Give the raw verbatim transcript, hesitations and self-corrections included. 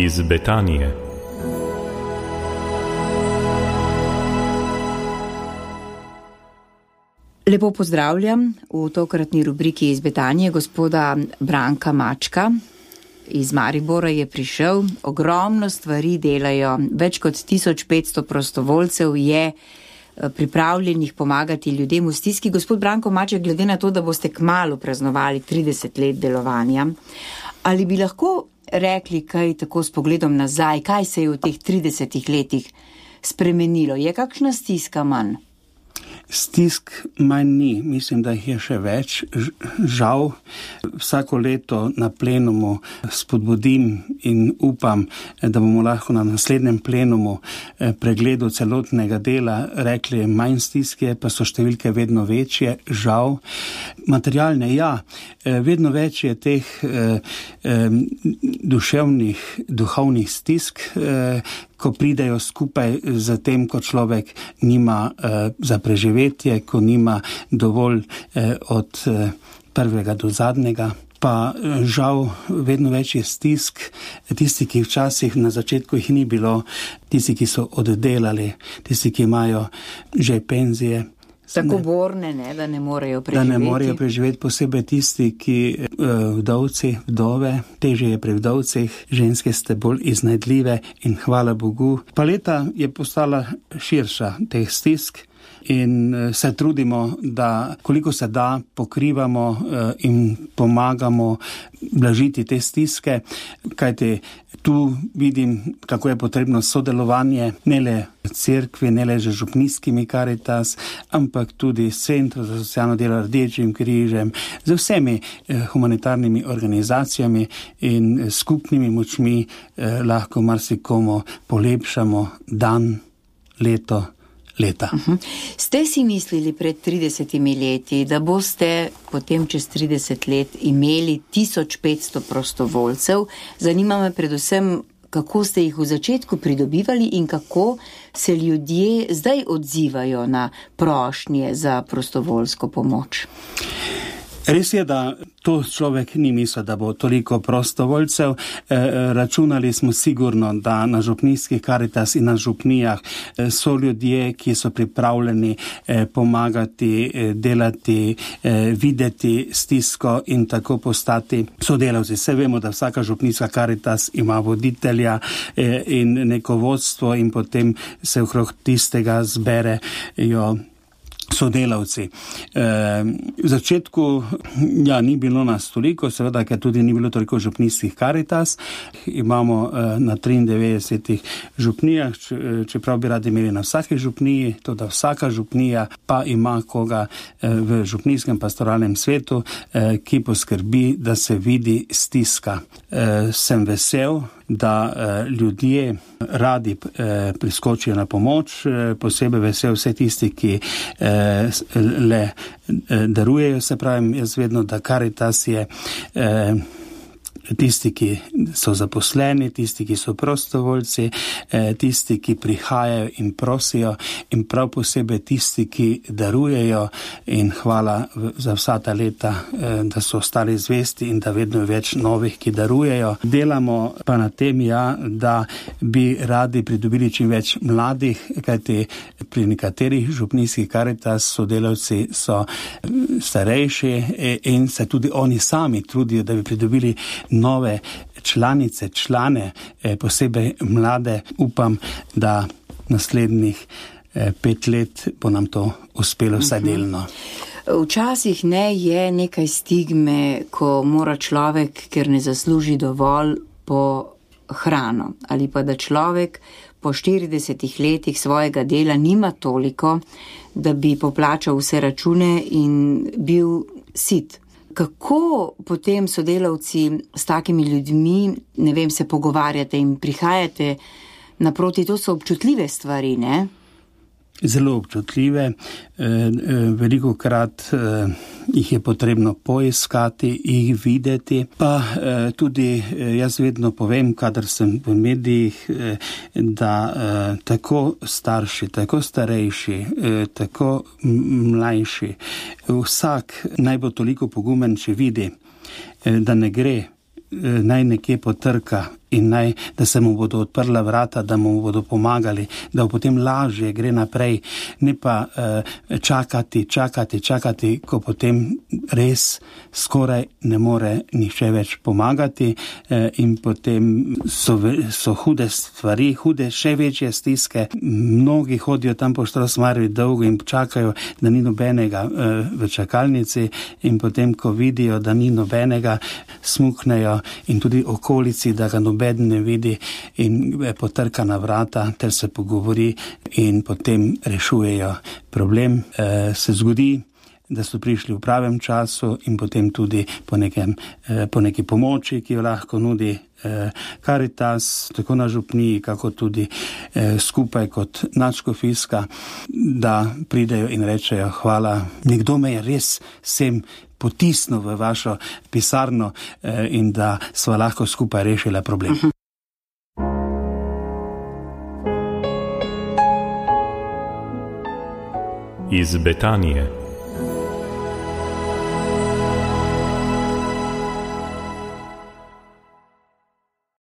iz Betanije. Lepo pozdravljam v tokratni rubriki iz Betanije gospoda Branka Mačka. Iz Maribora je prišel, ogromno stvari delajo, več kot tisoč petsto prostovoljcev je pripravljenih pomagati ljudem v stiski. Gospod Branko Maček, glede na to, da boste kmalu praznovali trideset let delovanja, ali bi lahko rekli kaj tako s pogledom nazaj, kaj se je v teh tridesetih letih spremenilo? Je kakšna stiska manj? Stisk manj ni, mislim, da jih je še več. Žal, vsako leto na plenumu spodbudim in upam, da bomo lahko na naslednjem plenumu pregledu celotnega dela rekli manj stiske, pa so številke vedno večje, žal. Materialne, ja, vedno več je teh duševnih, duhovnih stisk, ko pridejo skupaj z tem, ko človek nima eh, za preživetje, ko nima dovolj eh, od eh, prvega do zadnjega. Pa eh, žal vedno več je stisk, tisti, ki včasih na začetku jih ni bilo, tisti, ki so oddelali, tisti, ki imajo že penzije. Tako borne, ne, da ne morejo preživeti. Da ne morejo preživeti, posebej tisti, ki vdovci, vdove, težje je pri vdovcih, ženske ste bolj iznajdljive in hvala Bogu. Paleta je postala širša teh stisk in se trudimo, da koliko se da pokrivamo in pomagamo blažiti te stiske, kajti tu vidim, kako je potrebno sodelovanje, ne le cerkvi, ne le z župnijskimi Karitas, ampak tudi s Centrom za socialno delo, Rdečim križem, z vsemi eh, humanitarnimi organizacijami in skupnimi močmi eh, lahko marsikomu polepšamo dan, leto, leta. Uh-huh. Ste si mislili pred tridesetimi leti, da boste potem čez trideset let imeli tisoč petsto prostovoljcev? Zanima me predvsem, kako ste jih v začetku pridobivali in kako se ljudje zdaj odzivajo na prošnje za prostovoljsko pomoč? Res je, da to človek ni mislil, da bo toliko prostovoljcev. E, računali smo sigurno, da na župnijskih Karitas in na župnijah so ljudje, ki so pripravljeni e, pomagati, e, delati, e, videti stisko in tako postati sodelavci. Vse vemo, da vsaka župnijska Karitas ima voditelja e, in neko vodstvo in potem se okrog tistega zberejo sodelavci. E, v začetku ja, ni bilo nas toliko, seveda, ker tudi ni bilo toliko župnijskih Karitas. Imamo e, na triindevetdesetih župnijah, čeprav bi radi imeli na vsaki župniji, to da vsaka župnija pa ima koga e, v župnijskem pastoralnem svetu, e, ki poskrbi, da se vidi stiska. E, sem vesel, da eh, ljudje radi eh, priskočijo na pomoč, eh, posebej vesel vse tisti, ki eh, le eh, darujejo, se pravim, jaz vedno, da Karitas je eh, tisti, ki so zaposleni, tisti, ki so prostovoljci, eh, tisti, ki prihajajo in prosijo in prav posebej tisti, ki darujejo in hvala za vsa ta leta, eh, da so ostali zvesti in da vedno več novih, ki darujejo. Delamo pa na tem, ja, da bi radi pridobili čim več mladih, kajti pri nekaterih župnijskih Karitas sodelavci so starejši in se tudi oni sami trudijo, da bi pridobili nove članice, člane, posebej mlade. Upam, da naslednjih pet let bo nam to uspelo vsaj delno. Včasih ne je nekaj stigme, ko mora človek, ker ne zasluži dovolj, po hrano. Ali pa da človek po štiridesetih letih svojega dela nima toliko, da bi poplačal vse račune in bil sit. Kako potem sodelavci s takimi ljudmi, ne vem, se pogovarjate in prihajate naproti? To so občutljive stvari, ne? Zelo občutljive, veliko krat jih je potrebno poiskati, jih videti, pa tudi jaz vedno povem, kadar sem v medijih, da tako starši, tako starejši, tako mlajši, vsak naj bo toliko pogumen, če vidi, da ne gre, naj nekje potrka in naj, da se mu bodo odprla vrata, da mu bodo pomagali, da potem lažje gre naprej, ne pa uh, čakati, čakati, čakati, ko potem res skoraj ne more nihče več pomagati uh, in potem so, so hude stvari, hude še večje stiske. Mnogi hodijo tam po Štrosmajerju dolgo in čakajo, da ni nobenega uh, v čakalnici in potem, ko vidijo, da ni nobenega, smuknejo in tudi okolici, da ga noben ne vidi in potrka na vrata, ter se pogovori in potem rešujejo problem. E, se zgodi, da so prišli v pravem času in potem tudi po, nekem, e, po neki pomoči, ki jo lahko nudi Karitas, tako na župniji, kako tudi eh, skupaj kot nadškofijska, da pridejo in rečejo hvala. Nekdo me je res sem potisnil v vašo pisarno eh, in da sva lahko skupaj rešila problem. Uh-huh. Iz Betanije.